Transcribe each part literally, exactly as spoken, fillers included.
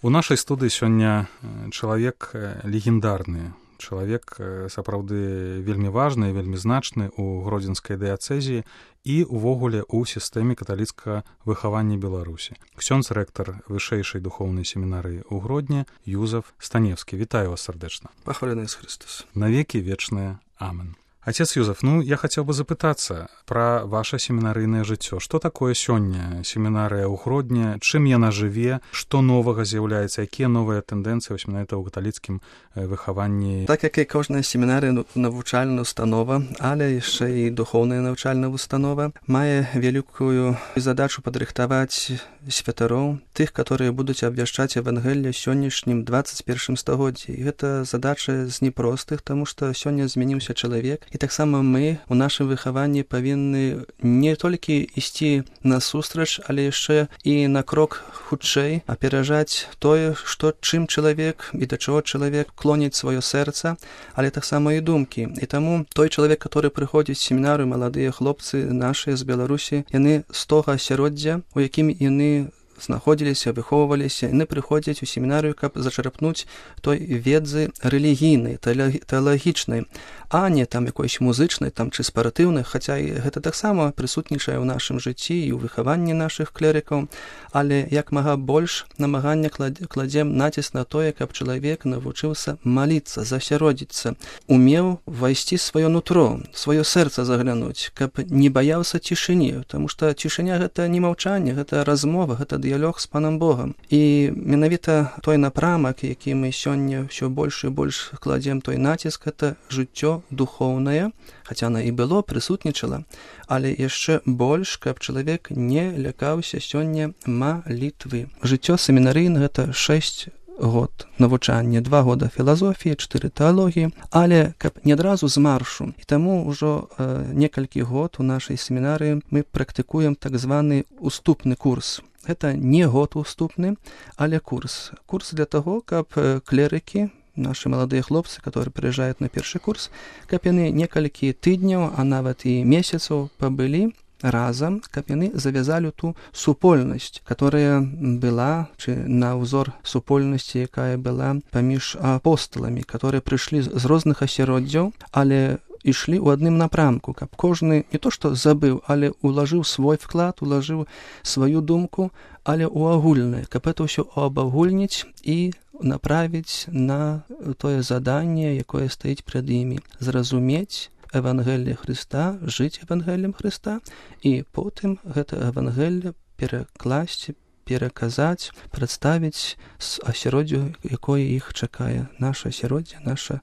У нашай студыі сёння чалавек легендарны, чалавек сапраўды вельмі важны, вельмі значны ў гродзенскай дыяцэзіі і ўвогуле ў сістэме каталіцкага выхавання Беларусі. Ксёндз рэктар вышэйшай духоўнай семінарыі ў Гродні Юзаф Станевскі. Вітаю вас сардэчна. Пахвалены Ісус Христос. Навекі вечныя. Амен. Отец Юзаф, ну, я хотел бы запытаться про ваше семинарийное жыццё. Что такое сёння семінарыя ў Гродні, чым яна жыве, што новага з'яўляецца, якія новыя тэндэнцыі вось менавіта ў каталіцкім выхаванні? Так як і кожная семінарыя навучальная установа, але яшчэ і духоўная навучальная установа, мае вялікую задачу падрыхтаваць святароў, тых, которые будуць абвяшчаць Евангелле сённяшнім двадцать першым стагоддзі. І гэта задача з непростых, таму што сёння змяніўся чалавек. І таксама мы у нашым выхаванні павінны не толькі ісці насустрач, але яшчэ і на крок хутчэй аперажаць тое, што чым чалавек і да чаго чалавек клоніць сваё сэрца, але таксама і думкі. І таму той чалавек, который прыходзіць в семінарыю, маладыя хлопцы нашыя з Беларусі, яны з того асяроддзя, у якім яны знаходзіліся, выхоўваліся, яны прыходзяць у семінарыю, каб зачарапнуць той ведзы рэлігійнай, тэалагічнай, а не там якоїсь музычнай там, ці спаратыўнай, хаця і гэта таксама прысутнічае ў нашым жыцці і ў выхаванні нашых клерыкаў, але як мага больш намагання кладзем націск на тое, каб чалавек навучыўся маліцца, засяродзіцца, умеў увайсці сваё нутро, сваё сэрца заглянуць, каб не баяўся цішыні, таму што цішыня гэта не маўчанне, гэта размова, гэта дыялог з Панам Богам. І менавіта той напрамак, які мы сёння ўсё больш і больш кладзем той націск, гэта жыццё духоўнае, хаця она і было, прысутнічала, але яшчэ больш, каб чалавек не лякаўся сёння малітвы. Жыццё семінарыйна гэта шэсць год навучання, два года філазофіі, чатыры тэалогіі, але каб не адразу з маршу. І таму ўжо э, некалькі год у нашай семінарыі мы практыкуем так званы уступны курс. Гэта не год уступны, але курс. Курс для таго, каб клерыкі, наши маладыя хлопцы, которые прыязджаюць на першы курс, каб яны некалькі тыдняў, а нават і месяцаў пабылі разам, каб яны завязалі ту супольнасць, которая была, ці на ўзор супольнасці, якая была паміж апосталамі, которые прыйшлі з розных асяроддзяў, але ішлі ў адным напрамку, каб кожны не то што забыў, але улажыў свой вклад, улажыў сваю думку, але ў агульнае, каб это ўсё абагульніць і направіць на тое заданне, якое стаіць пред імі. Зразумець Евангелле Христа, жыць Евангеллем Христа, і потым гэта Евангелле перакласці, пераказаць, прадставіць з асяроддзю, якое іх чакае. Наша асяроддзе, наша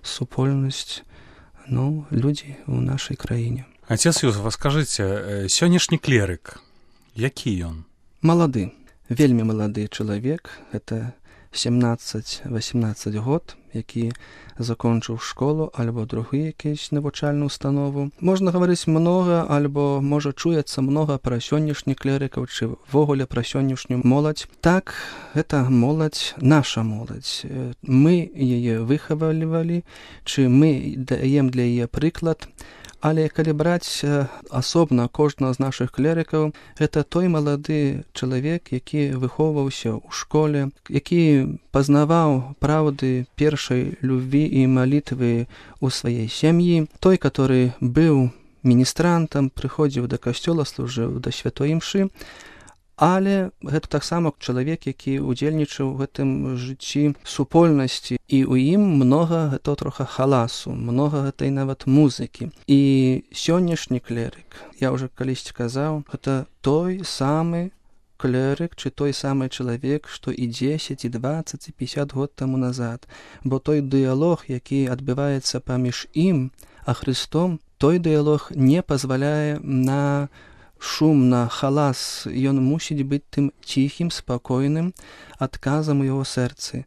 супольнасць, ну, людзі ў нашай краіне. Отец Юзаф, скажыце, сённяшні клерык, які ён? Малады, вельмі малады чалавек, гэта сямнаццаць-васямнаццаць год, які закончыў школу альбо другую якусь навучальную установу. Можна гаварыць многа, альбо можа чуецца многа пра сённяшніх клерыкаў, ці ввогуле пра сённяшнюю моладзь. Так, гэта моладзь, наша моладзь. Мы яе выхавалівалі, ці мы даем для яе прыклад. Але калі браць асобна кожнага з нашых клерыкаў, гэта той малады чалавек, які выхоўваўся ў школе, які пазнаваў праўды першай любві і малітвы ў сваёй сям'і, той, который быў міністрантам, прыходзіў да касцёла, служыў да святой імшы, але гэта таксама чалавек, які удзельнічаў у гэтым жыцці супольнасці, і ў ім многа гэта троха халасу, многа гэтай нават музыкі. І сённяшні клерык, я ўжо калісьці казаў, гэта той самы клерык, ці той самы чалавек, што і дзесяць, і дваццаць, і пяцьдзясят год таму назад. Бо той дыялог, які адбываецца паміж ім, а Христом, той дыялог не пазваляе на шум, на халас, ён мусіць быць тым ціхім, спакойным адказам у яго сэрцы.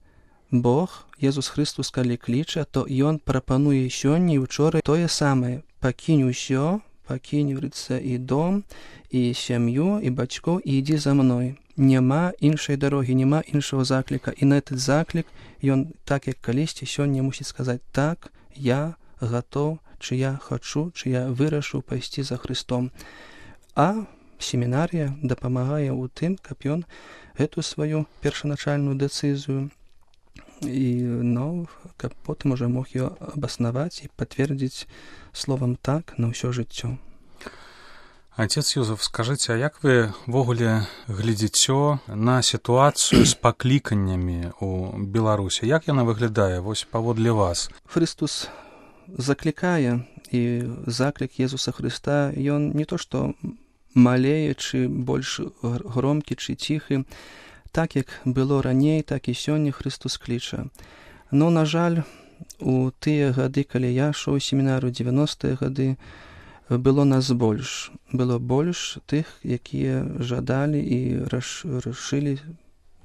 Бог, Езус Христус, калі кліча, то ён прапануе сёння і учора тое самае. Пакінь усё, пакінь, говорится, і дом, і сям'ю, і бацькоў, і ідзі за мной. Няма іншай дарогі, няма іншага закліка. І на этот заклік ён, так як калісьці, сёння мусіць сказаць: так, я гатоў, чи я хачу, чи я вырашыў пайсці за Христом. А семінарія дапамагае ў тым, каб ён гэту сваю першаначальную дэцызію і, ну, каб потым уже мог ее абаснаваць і пацвердзіць словам «так» на ўсё жыццё. Отец Юзеф, скажыце, а як вы ввогуле глядзіце на сітуацыю з пакліканнямі ў Беларусі? Як яна выглядае вось паводле вас? Христус заклікае, і заклік Езуса Христа, ён не то што малее, чы больш громкі, чы ціхі. Так, як было раней, так і сёння Христус кліча. Но, на жаль, у тыя гады, калі я шоў у семінарыю, дзевяностыя гады, было нас больш. Было больш тых, якія жадалі і рашылі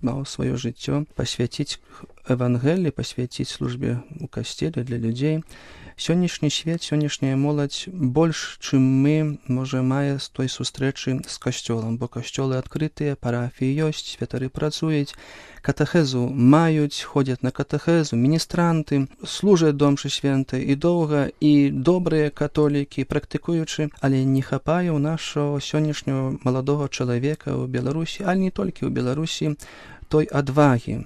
сваё жыццё пасвяціць Евангеліі, пасвяціць службе ў касцеле для людзей. Сённяшні свет, сённяшняя моладзь больш, чым мы, можа, мае з той сустрэчы з касцёлам, бо касцёлы адкрытыя, парафіі ёсць, святары працуюць, катэхезу маюць, ходзяць на катэхезу, міністранты, служаць домшы свентай і доўга, і добрыя католікі, практыкуючы, але не хапае ў нашого сённяшняго маладога чалавека ў Беларусі, але не толькі ў Беларусі, той адвагі,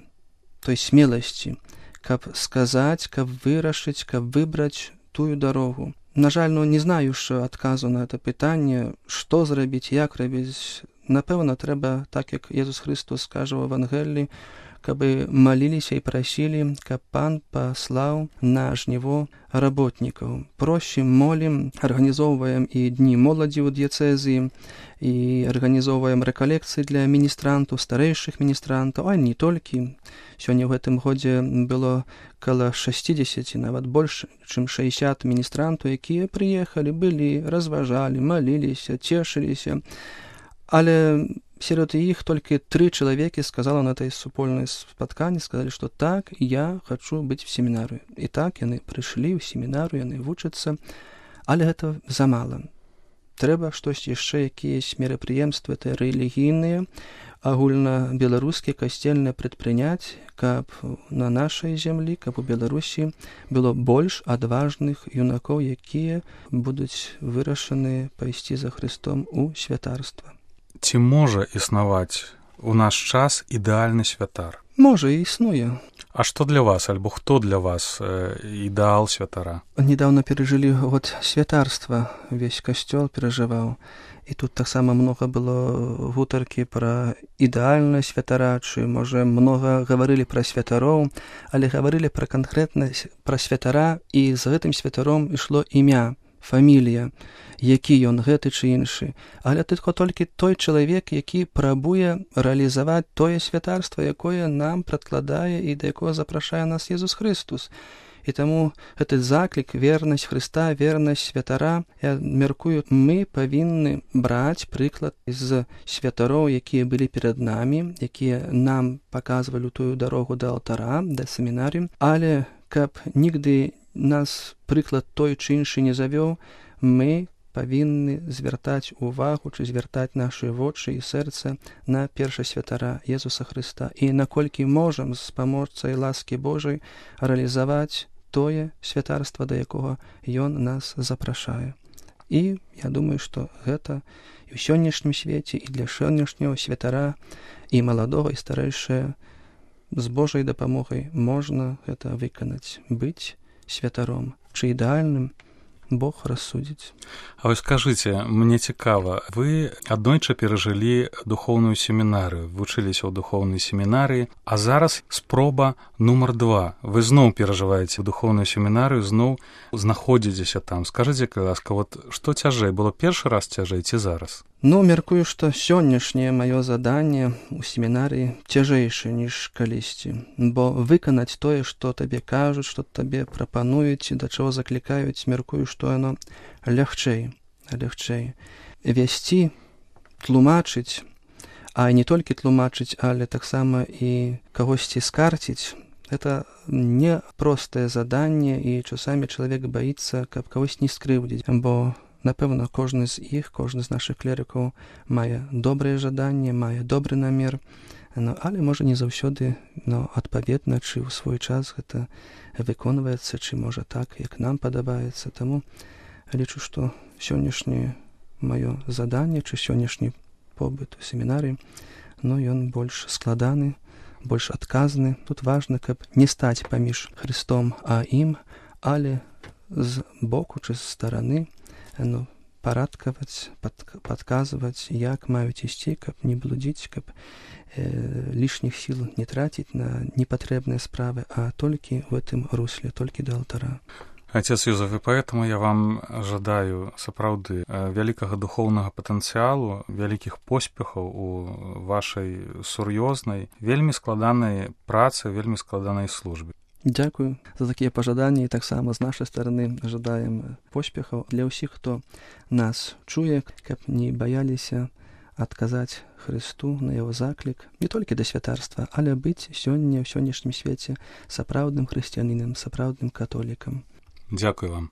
той смеласці, каб сказаць, каб вырашыць, каб выбраць тую дарогу. На жаль, ну, не знаю ж адказу на это пытанне, што зрабіць, як рабіць. Напэўна, трэба, так як Езус Христос скажа ў Евангеліі, каб маліліся і прасілі, каб Пан паслаў на жніво работнікаў. Просім, молім, арганізоўваем і дні моладзі ў дыяцэзіі, і арганізоўваем рэкалекцыі для міністрантаў, старэйшых міністрантаў, а не толькі. Сёння ў гэтым годзе было каля шэсцідзесят, нават больш, чым шэсцьдзесят міністрантаў, якія прыехалі, былі, разважалі, маліліся, цешыліся. Але сярод іх толькі тры чалавекі сказала на этой супольнай спатканні, сказалі, што так, я хачу быць в семінарыі. І так яны прыйшлі ў семінарыю, яны вучацца, але гэта замала. Трэба штось яшчэ, якіясь мерапрыемствы, это рэлігійныя, агульнабеларускія касцельныя прадпрыняць, каб на нашай зямлі, каб у Беларусі было больш адважных юнакоў, якія будуць вырашаны пайсці за Христом у святарства. Ці можа існаваць у наш час ідэальны святар? Можа, і існуе. А што для вас, альбо хто для вас э, ідэал святара? Недавно перажылі год святарства, увесь касцёл перажываў. І тут таксама многа было гутаркі пра ідэальнае святара, чы, можа, многа гаварылі пра святароў, але гаварылі пра канкрэтна пра святара, і з гэтым святаром ішло імя, фамілія, які ён, гэты ці іншы. Але толькі толькі той чалавек, які прабуе рэалізаваць тое святарства, якое нам прадкладае і да якога запрашае нас Езус Христус. І таму гэты заклік, вернасць Христа, вернасць святара, я мяркую, мы павінны браць прыклад з святароў, якія былі перад намі, якія нам паказвалі тую дарогу да алтара, да семінарыі, але каб нігды нас прыклад той чи іншы не завёў, мы павінны звяртаць увагу, ці звяртаць нашы вочы і сэрца на першасвятара Езуса Христа. І наколькі можам з памочцай ласкі Божай рэалізаваць тое святарства, да якога ён нас запрашае. І я думаю, што гэта і ў сённяшнім свеце, і для сённяшняго святара, і маладога, і старэйшае, з Божай дапамогай можна гэта выканаць, быць святаром, чы ідэальным, Бог рассудзіць. А вы скажыце, мне цікава, вы аднойчы перажылі духоўную семінарыю, вучыліся ў духоўнай семінарыі, а зараз спроба нумар два. Вы зноў перажываеце духоўную семінарыю, зноў знаходзіцеся там. Скажыце, калі ласка, вот што цяжэй, было першы раз цяжэй ці зараз? Ну, мяркую, што сённяшняе маё заданне ў семінарыі цяжэйшае, ніж калісьці. Бо выканаць тое, што табе кажуць, што табе прапануюць, да чаго заклікаюць, мяркую, што яно лягчэй, лягчэй. Вясці, тлумачыць, а не толькі тлумачыць, але таксама і кагосьці скарціць, гэта не простае заданне, і часамі чалавек баіцца, каб кагось не скрыўдзіць, бо напэўна, кожны з іх, кожны з нашых клерыкаў мае добрае жаданне, мае добры намер, no, але можа не заўсёды no, адпаведна, чы ў свой час гэта выконваецца, чы можа так, як нам падабаецца. Таму лічу, што сённяшняе маё заданне, чы сённяшні побыт у семінарыі, но ён больш складаны, больш адказны. Тут важна, каб не стаць паміж Христом а ім, але з боку ці з стараны, ну, парадкаваць, пад, падказваць, як маюць ісці, каб не блудзіць, каб э, лішніх сіл не траціць на непатрэбныя справы, а толькі в гэтым русле, толькі да алтара. Отец Юзеф, і поэтому я вам жадаю сапраўды вялікага духоўнага патэнцыялу, вялікіх поспехаў у вашай сур'ёзнай, вельмі складанай працы, вельмі складанай службе. Дзякую за такія пажаданні, і таксама з нашай стараны жадаем поспехаў для ўсіх, хто нас чуе, каб не баяліся адказаць Христу на яго заклік не толькі да святарства, але быць сёння ў сённяшнім свеце сапраўдным хрысціянінам, сапраўдным католікам. Дзякую вам.